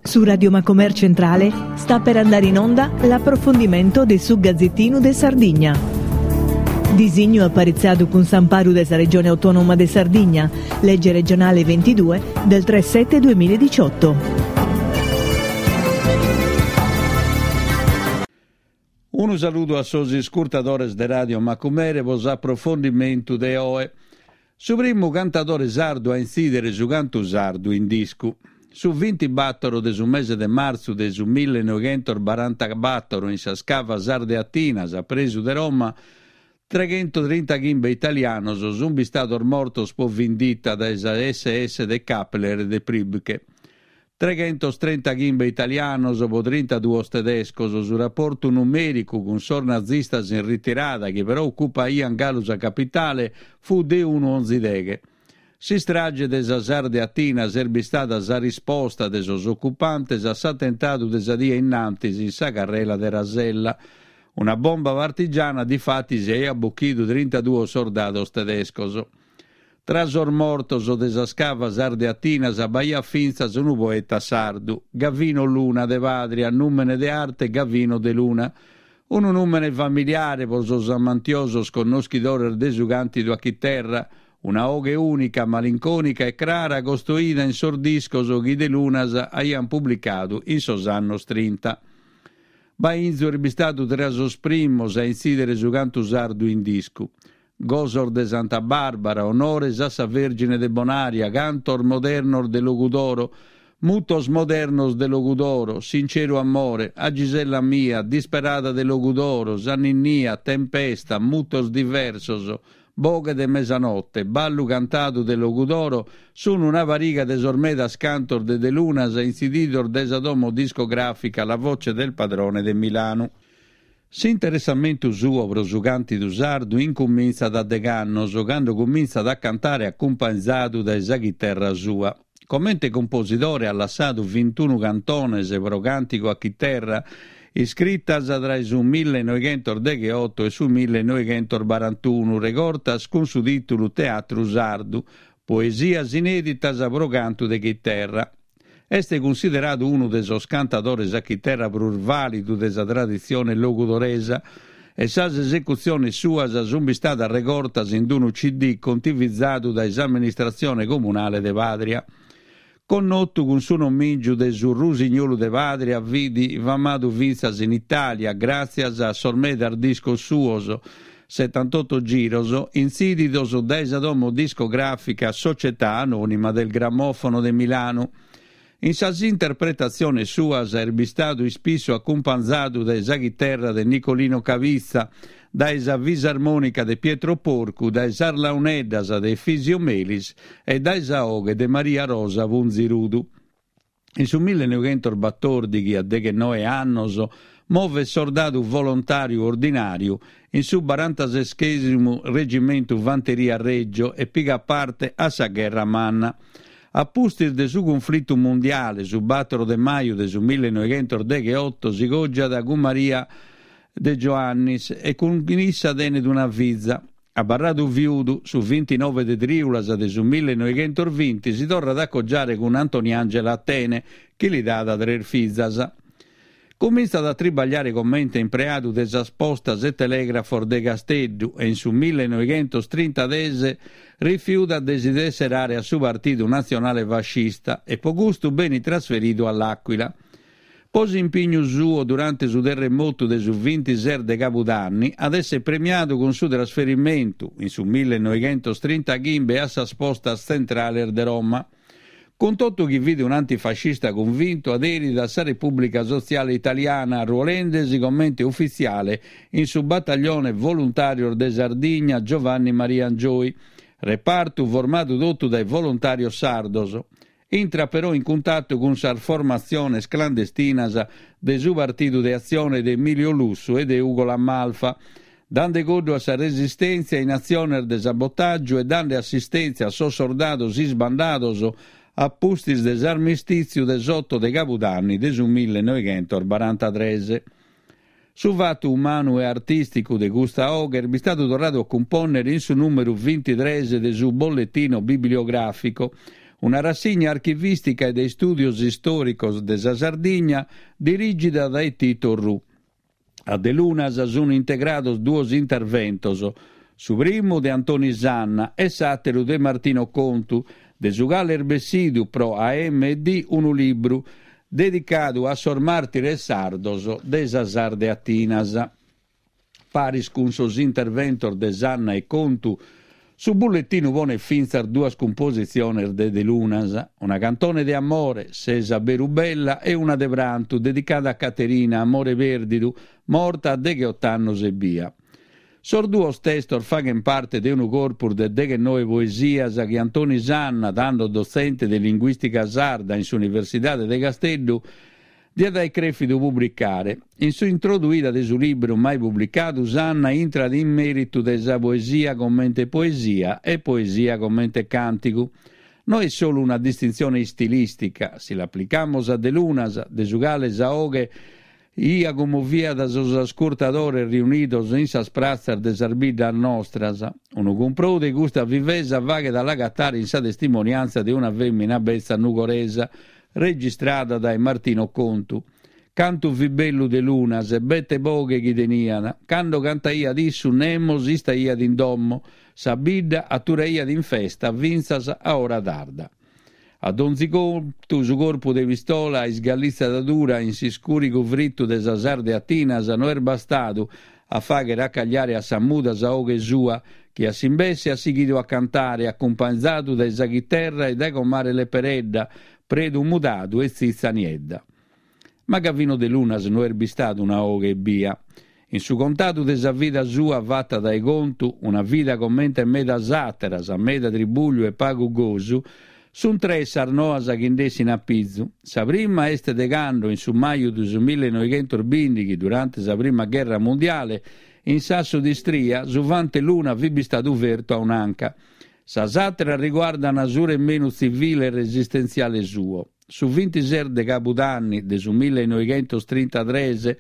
Su Radio Macomer Centrale sta per andare in onda l'approfondimento de su Gazzettinu de Sardigna. Disignu aparitziadu cun s'amparu de sa Regione Autonoma de Sardigna, Legge regionale 22 del 3 7 2018. Unu saludu a sos iscurtadores de Radio Macumere pro s'aprofondimentu de oe. Su primu cantadore sardu a intzìdere su cantu sardu in discu. Su bintibattoro de su mese de martzu de su millenoighentosbarantabattoro in sas cavas ardeatinas a presu de Roma, treghentotrintachimbe italianos sunt bistados mortos pro vindita dae sa SS de Kappler e de Priebke. Treghentostrentachimbe italianos pro trintaduos tedescos, su raportu numèricu cun sos nazistas in ritirada chi però ocupaiant galu sa capitale fut de unu onzi deghe. S'istrage de sas Ardeatinas est bistada sa risposta de sos ocupantes a s'atentadu de sa die innantis in sa carrela de Rasella. Una bomba partigiana difatis aiat bochidu trintaduos sordados tedescos. Tra sos mortos de sas cavas ardeatinas b'aiat fintzas unu poeta sardu, Gavino Luna de Pàdria, nùmene de arte Gavino de Luna. Unu nùmene familiare pro sos amantiosos connoschidores de su càntidu a chiterra, una 'oghe ùnica, malincònica e crara costoida in sos discos chi de Lunas aiant publicadu in sos annos trinta. Bainzu est bistadu tra sos primos a intzìdere su cantu sardu in discu. Gosos de Santa Barbara, onores a sa Vèrgine de Bonaria, cantos modernos de Logudoro, mutos modernos de Logudoro, sinceru amore, a Gisella mia, disperada de Logudoro, sa ninnia, tempesta, mutos diversos, boghe de mesanotte, ballu cantadu de Logudoro, sun una pariga de sos medas cantos de Delunas intzididos dae sa domo discografica La Voce del Padrone de Milanu. S'interessamentu suo pro su càntidu sardu incumintzat a degh'annos, cando cumintzat a cantare acumpanzadu dae sa chiterra sua. Comente cumposidore at lassadu vintunu cantones pro càntigu a chiterra, iscritas tra su millenoighentosdegheoto e su millenoighentosbarantunu, regortas cun su tìtulu Teatru Sardu, poesias inèditas pro cantu de chiterra. Est cunsideradu unu de sos cantadores a chiterra prus vàlidu de sa traditzione logudoresa e sas esecutziones suas sunt bistadas regortas in unu CD contivizadu dae s'amministratzione comunale de Pàdria. Connotu cun su nomìngiu de su Rusignolu de Pàdria fit famadu fintzas in Itàlia gràtzias a sos medas discos suos, Setantoto giros, intzìdidos dae sa domo discogràfica Società Anonima del Grammofono de Milanu. In sas interpretatziones suas est bistadu ispissu acumpanzadu dae sa chiterra de Nicolino Cabitza, dae sa fisarmònica de Pietro Porcu, dae sas launeddas de Efisio Melis e dae sa 'oghe de Maria Rosa Punzirudu. In su millenoighentosbatòrdighi, a deghenoe annos, movet sordadu volontàriu ordinàriu in su barantaseschèsimu Regimentu Fanteria Reggio e pigat parte a sa Gherra Manna. A pustis de su cunflitu mundiale, su bàtoro de maju de su millenoighentosdegheoto si cògiat cun Maria De Joannis e cun issa tenet una fiza. Abarradu viudu, su vintinove de trìulas de su millenoighentosvinti si torrat a cogiare cun Antoniangela Attene, chi li dat tres fizas. Cumintzat a tribagliare comente impreadu de sas postas e telègrafos de Casteddu e in su millenoighentostrintases rifiudat de si tesserare a su Partidu Natzionale Fascista e po custu benit trasferidu a L'Aquila. Po s'impignu suo durante su terremotu de su vintises de cabudanni at esser premiadu cun su trasferimentu, in su millenoighentostrintaghimbe a sas postas tzentrales de Roma. Cun totu chi fit un'antifascista cunvintu aderit a sa Repùblica Sotziale Italiana arruolendesi comente ufitziale in su Battaglione Voluntàrios de Sardigna Giovanni Maria Angioy, repartu formadu totu dae volontàrios sardos. Intrat però in cuntatu cun sas formatziones clandestinas de su Partidu de Atzione de Emilio Lussu e de Ugo La Malfa, dande coddu a sa resistèntzia in atziones de sabotàgiu e dande assistèntzia a sos sordados isbandados a pustis de s'armistìtziu de s'oto de cabudanni de su millenoighentosbarantatres. Su fatu umanu e artìsticu de custa 'oghe est bistadu torradu a cumpònnere in su nùmeru vintitres de su Bollettino Bibliografico, Una rassigna archivìstica e de istùdios istòricos de sa Sardigna dirìgida dae Tito Orrù. A Delunas sunt integrados duos interventos, su primu de Antoni Sanna e s'àteru de Martino Contu, de su cale est bessidu pro AMD unu libru dedicadu a sos màrtires sardos de sas Ardeatinas. Paris cun sos interventos de Sanna e Contu, su bulletinu ponet fintzas duas cumpositziones de Delunas, una cantone de amore, Ses aberu bella, e una de prantu, dedicada a Caterina, Amore pèrdidu, morta a degheot'annos ebbia. Sos duos testos faghent parte de unu corpus de deghenoe poesias chi Antoni Sanna, tando dotzente de linguìstica sarda in s'Universidade de Casteddu, Diat aer crèfidu publicare. In s'introduida de su libru mai publicadu Sanna intrat in mèritu de sa poesia comente poesia e poesia comente càntigu. No est solu una distintzione istilìstica, si l'aplicamus a Delunas, de su cale sa 'oghe 'ia cummoviat sos ascurtadores riunidos in sas pratzas de sas biddas nostras. Unu cumprou de custa vivesa faghet a l'agatare in sa testimoniàntzia de una fèmina betza nugoresa, registrada dae Martino Contu. Cantu fit bellu Delunas e bete boghe chi teniat. Cando cantaiat issu nemos istaiat in domo, sa bidda aturaiat in festa fintzas a ora tarda. A donzi contu su corpu de pistola a isgallitzadura in s'iscurigu fritu de sas Ardeatinas no est bastadu a fàghere acagliare a sa muda sa 'oghe sua, chi a s'imbesse at sighidu a cantare, acumpanzadu dae sa chiterra e dae comare Leperedda, Predu Mudadu e Tzitza Niedda. Ma Gavino Delunas no est bistadu una 'oghe ebbia. In su contadu de sa vida sua fata dae Contu, una vida comente medas àteras, meda tribugliu e pagu gosu, Sunt tres sas noas chi nd'essin a pizu. Sa prima est de cando, in su maju de su millenoighentosbìndighi, durante sa prima gherra mundiale, in Sassu d'Istria, su fante Luna fit bistadu fertu a un'anca. Sas àteras riguardan su remenu tzivile e resistentziale suo. Su vintises de cabudanni de su millenoighentostrintatres,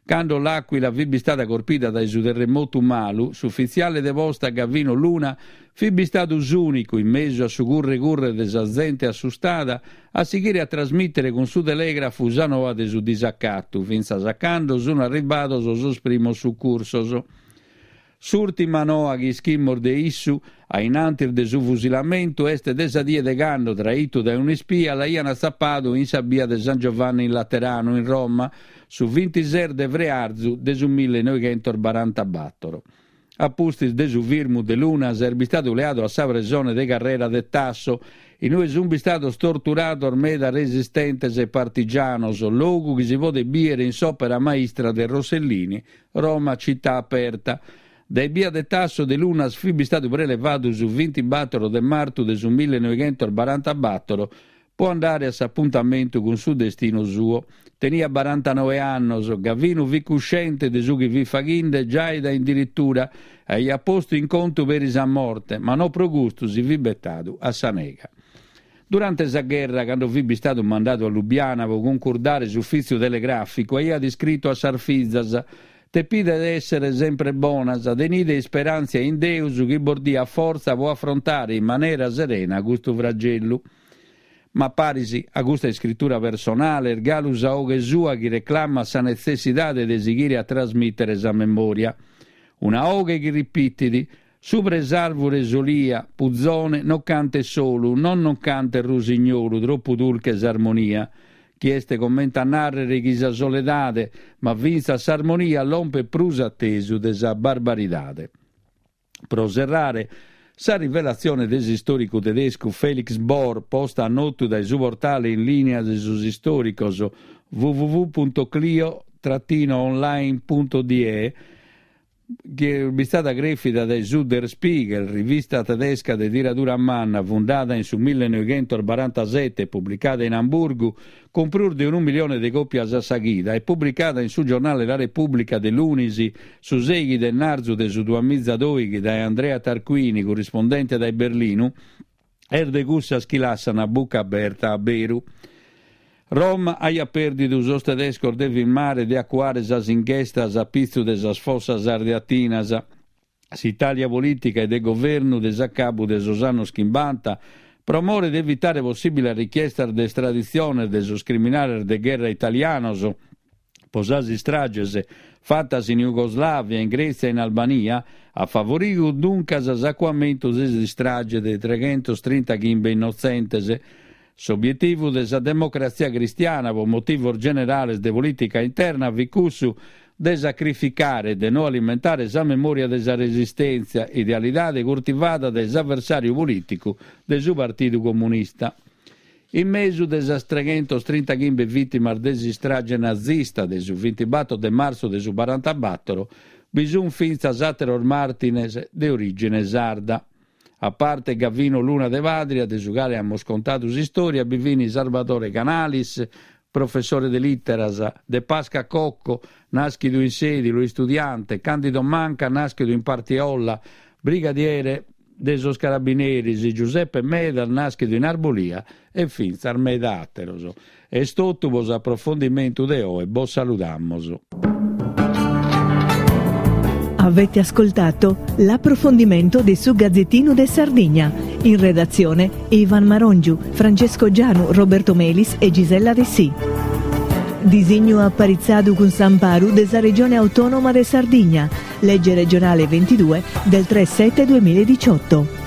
Cando L'Aquila fit bistada corpida dae su terremotu malu, s'ufitziale de posta Gavino Luna fit bistadu s'ùnicu, in mesu a su curre curre de sa zente assustada, a sighire a trasmìtere cun su telègrafu sa noa de su disacatu, fintzas a cando sun arribados sos primos sucursos. S'ùrtima noa chi ischimus de issu, a in antis de su fusilamentu, est de sa die de cando, traitu dae un'ispia, l'aian atzapadu in sa bia de San Giovanni in Lateranu, in Roma, su vintises de frearzu de su millenoighentosbarantabatoro. A pustis de su firmu Delunas est bistadu leadu a sa presone de Carrera de Tasso, in ue sunt bistados torturados meda resistentes e partigianos, logu chi si podet bìere in s'òpera maistra de Rossellini, Roma città aperta. Dae bia de Tasso Delunas fit bistadu prelevadu su vintibatoro de martu de su millenoighentosbarantabatoro po andare a s'apuntamentu cun su destinu suo. Teniat barantanoe annos, Gavinu fit cuscente de su chi fit faghinde giai dae in dirittura e aiat postu in contu peri sa morte, ma no pro custu si fit betadu a sa nega. Durante sa gherra, cando fit bistadu mandadu a Lubiana pro cuncurdare s'ufìtziu telegràficu, aiat iscritu a sas fizas, Tepide èssere sempre bonas, tenide isperàntzia in Deus chi bos diat fortza pro afrontare in manera serena custu fragellu. Ma paris a custa iscritura personale est galu sa 'oghe sua chi reclamat sa netzessidade de sighire a trasmìtere sa memòria. Una 'oghe chi ripitit, Subra 'e s'àrvure 'e s'olia, puzone, non cantes solu, non non cantes rusignolu, tropu dulche s'armonia, chi est comente a nàrrere chi sa soledade, ma fintzas s'armonia lompet prus a tesu de sa barbaridade. Pro serrare, sa rivelatzione de s'istòricu tedescu Felix Bohr, posta a notu dae su portale in lìnia de sos istòricos www.clio-online.de, chi est bistada crèfida dae su Der Spiegel, rivista tedesca de tiradura manna fundada in su millenoighentosbarantasete e publicada in Amburgu cun prus de unu milione de còpias a sa chida e publicada in su giornale La Repubblica de lunis su sèighi de ennarzu de su duamizadoighi dae Andrea Tarquini, currispondente dae Berlinu, est de cussas chi lassan a buca aberta a beru. Roma aiat pèrdidu sos tedescos de firmare de acuare sas inchestas a pitzu de sas fossas ardeatinas. S'Itàlia polìtica e de governu de s'acabu de sos annos chimbanta. Pro more de evitare possìbiles richiestas de estraditziones de sos criminales de gherra italianos pro sas istrages fatas in Jugoslàvia, in Grètzia e in Albania, at favoridu duncas s'acuamentu de s'istrage de treghentostrintaghimbe innotzentes. S'obietivu de sa Democratzia Cristiana pro motivos generales de polìtica interna fit cussu de sacrificare e de no alimentare sa memòria de sa resistèntzia, idealidade curtivada dae s'aversàriu polìticu de su Partidu Comunista. In mesu de sas treghentostrintaghimbe vìtimas de s'istrage nazista de su bintibator de martzu de su barantabator bi sunt fintzas àteros màrtires de orìgine sarda. A parte Gavino Luna de Pàdria, de su cale amus contadu s'istòria, bi fin Sarvadore Canalis, professore de lìteras, De Pasca Cocco, nàschidu in Sèdilo, istudiante, Candido Manca, nàschidu in Partiolla, brigadiere de sos carabineris, Giuseppe Medas, nàschidu in Arbolia, e fintzas meda àteros. Est totu pro s'aprofondimentu de oe, bos saludamus. Avete ascoltato l'approfondimento de su Gazzettino de Sardigna. In redazione Ivan Marongiu, Francesco Gianu, Roberto Melis e Gisella Dessì. Disignu aparitzadu cun s'amparu de sa Regione Autonoma de Sardigna, legge regionale 22 del 3 7 2018.